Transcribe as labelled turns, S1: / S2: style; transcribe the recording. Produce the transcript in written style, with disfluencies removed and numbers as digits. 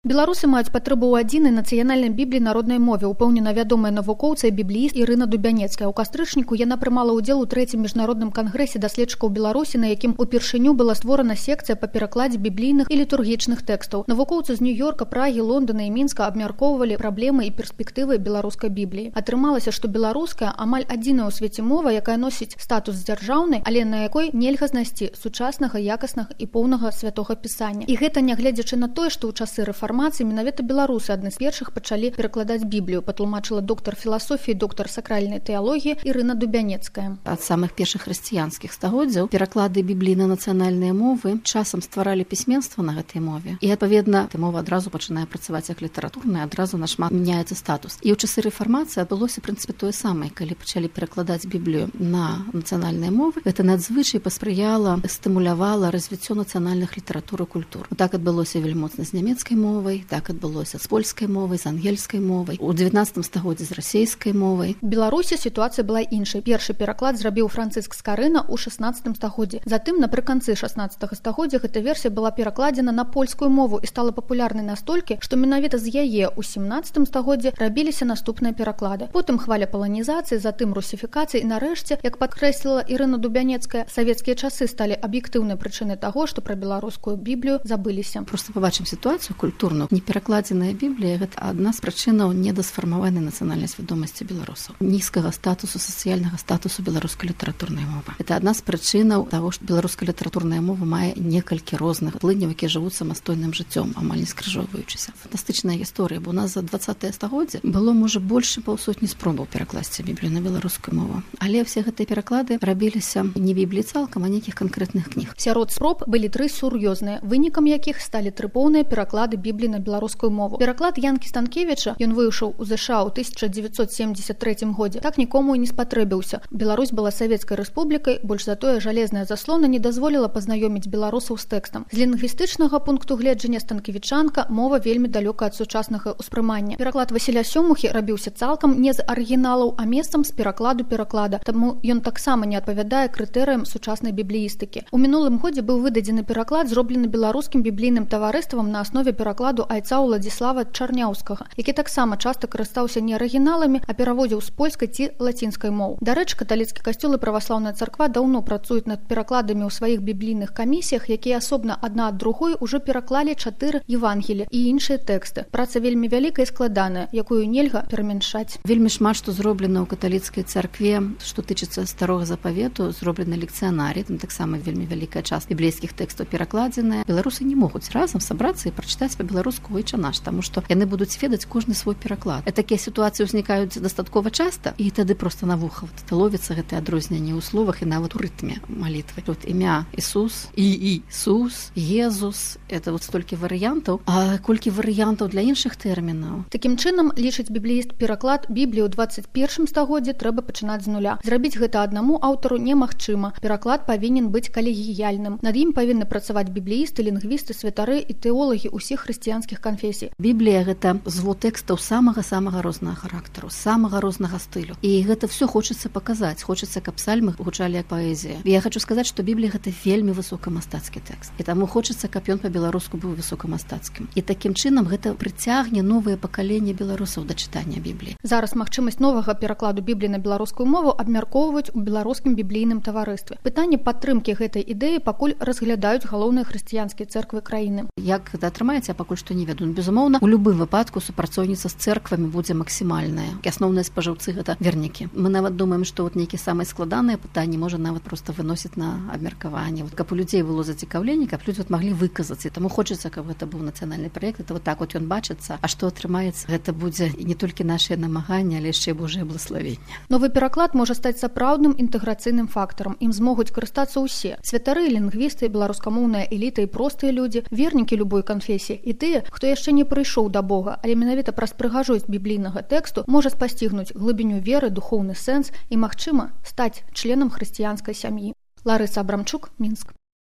S1: Беларусы маюць патрэбу ў адзінай нацыянальнай бібліі народнай мове, упэўнена вядомая навукоўца і біблііст Ірына Дубянецкая. У кастрычніку яна прымала ўдзел у 3-м міжнародным кангрэсе даследчыкаў Беларусі, на якім упершыню была створана секцыя па перакладзе біблійных і літургічных тэкстаў. Навукоўцы з Нью-Йорка, Прагі, Лондона і Мінска абмяркоўвалі праблемы і перспектывы беларускай бібліі. Атрымалася, што беларуская амаль адзіная ў свеце мова, якая носіць статус дзяржаўнай, але на якой нельга знайсці сучаснага, якаснага і поўнага святога пісання. І гэта нягледзячы на тое, што ў часы рэформацыі менавіта беларусы адны з першых пачалі перакладаць Біблію, патлумачыла доктар філасофіі, доктар сакральнай тэалогіі Ірына Дубянецкая.
S2: Ад самых першых хрысціянскіх стагоддзяў пераклады Бібліі на нацыянальныя мовы часам стваралі пісьменства на гэтай мове. І адпаведна, мова адразу пачынае працаваць як літаратурная, адразу нашмат мяняецца статус. І ў часы рэформацыі адбылося, в прынцыпе, тое самае, калі пачалі перакладаць Біблію на нацыянальныя мовы. Гэта надзвычай паспрыяла, стымулявала развіццё нацыянальных літаратур і культур. Так адбылося вельмі моцна з нямецкай мовай, так адбылося з польскай мовай, з ангельскай мовай, у 19 стагоддзі з расейскай мовай.
S1: У Беларусі сітуацыя была іншай. Першы пераклад зрабіў Францыск Скарына ў 16 стагоддзі. Затым, напрыканцы 16 стагоддзя, гэта версія была перакладзена на польскую мову і стала папулярнай настолькі, што менавіта з яе ў 17 стагоддзі рабіліся наступныя пераклады. Потым хваля паланізацыі, затым русіфікацыі і нарэшце, як падкрэсліла Ірына Дубянецкая, савецкія часы сталі аб'ектыўнай прычынай таго, што пра беларускую Біблію забыліся.
S2: Просто пабачым сітуацыю культурную. Неперакладзеная Біблія – гэта адна з прычынаў недасфармаванай нацыянальнай свядомасці беларусаў. Нізкага статусу, сацыяльнага статусу беларускай літаратурнай мовы. Гэта адна з прычынаў таго, што беларуская літаратурная мова мае некалькі розных плыняў, якія жывуць самастойным жыццём, амаль не скрыжоўваючыся. Фантастычная гісторыя, бо у нас за 20-е стагоддзе было, можа, больш паўсотні спробаў перакласці Біблію на беларускую мову. Але ўсе гэтыя пераклады рабіліся не Бібліі цалкам, а нейкіх канкрэтных кніг.
S1: Сярод спроб былі 3 сур'ёзныя, вынікам якіх сталі 3 поўныя пераклады Бібліі на беларускую мову. Пераклад Янкі Станкевіча, ён выйшаў у ЗША ў 1973 годзе, так нікому і не спатрэбіўся. Беларусь была савецкай рэспублікай, больш за тое жалезная заслона не дазволіла пазнаёміць беларусаў з тэкстам. З лінгвістычнага пункту гледжання станкевічанка мова вельмі далёка ад сучаснага ўспрымання. Пераклад Васіля Сёмухі рабіўся цалкам не з арыгіналаў, а месцам з перакладу пераклада, таму ён таксама не адпавядае крытэрыям сучаснай бібліістыкі. У мінулым годзе быў выдадзены пераклад, зроблены беларускім біблійным таварыствам на аснове перакладу айца Уладзіслава Чарняўскага, які таксама часта карыстаўся не арыгіналамі, а пераводзіў з польскай ці лацінскай моў. Дарэчы, каталіцкі касцёл і праваслаўная царква даўно працуюць над перакладамі ў сваіх біблійных камісіях, якія асобна адна ад другой ужо пераклалі 4 Евангелі і іншыя тэксты. Праца вельмі вялікая і складаная, якую нельга перамяншаць.
S2: Вельмі шмат што зроблена ў каталіцкай царкве, што тычыцца старога запавету, зроблена лекцыянарій, там таксама вельмі вялікая частка біблейскіх тэкстаў перакладзеная. Беларусы не могуць разам сабрацца і прачытаць па-беларуску «Ойча наш», таму што яны будуць ведаць кожны свой пераклад. Такія сітуацыі ўзнікаюць дастаткова часта, і тады проста на вуха ловіцца гэтае адрозненне ў словах і нават у рытме малітвы. Тут імя Ісус, Іісус, Езус, это вот столькі варыянтаў, а колькі варыянтаў для іншых тэрмінаў.
S1: Такім чынам, лічыць біблііст, пераклад Бібліі ў 21 стагоддзі трэба пачынаць з нуля. Зрабіць гэта аднаму аўтару немагчыма. Пераклад павінен быць калегіяльным. Над ім павінны працаваць бібліісты, лінгвісты, святары і тэолагі ўсіх хрысціянскіх канфесій.
S2: Біблія – гэта звод тэкстаў самага рознага характару, самага рознага стылю. І гэта все хочацца паказаць. Хочацца, каб псальмы гучалі як паэзія. Я хочу сказаць, што Біблія – гэта вельмі высокамастацкі тэкст. І таму хочацца, каб ён па-беларуску быў высокамастацкім. І такім чынам гэта прыцягне новае пакаленне беларусаў да чытання Бібліі.
S1: Зараз магчымасць новага перакладу Бібліі на беларускую мову абмяркоўваюць у беларускім біблійным таварыстве. Пытанне падтрымкі гэтай ідэі пакуль разглядаюць галоўныя хрысціянскія цэрквы краіны.
S2: Як гэта атрымаецца, пакуль што не ведаю. Безумоўна, у любым выпадку супрацоўніцтва з цэрквамі будзе максімальная. Асноўныя спажыўцы гэта вернікі. Мы нават думаем, што вот нейкія самыя складаныя пытанні можа нават проста выносіць на абмеркаванне. Каб у людзей было зацікаўленне, каб людзі маглі выказацца. Таму хочацца, каб гэта быў нацыянальны праект. Это вот так вот ён бачыцца. А што атрымаецца? Гэта будзе не толькі нашыя намаганні, але яшчэ Божае благословенне.
S1: Новы пераклад можа стаць сапраўдным інтэграцыйным фактарам. Ім змогуць карыстацца ўсе. Святары, лінгвісты, беларускамоўная эліта і простыя людзі, вернікі любой канфесіі і тыя, хто яшчэ не прыйшоў да Бога, але менавіта праз прыгажосць біблійнага тэксту можа спасцігнуць глыбіню веры, духоўны сэнс і, магчыма, стаць членам хрысціянскай сям'і. Ларыса Абрамчук, Мінск.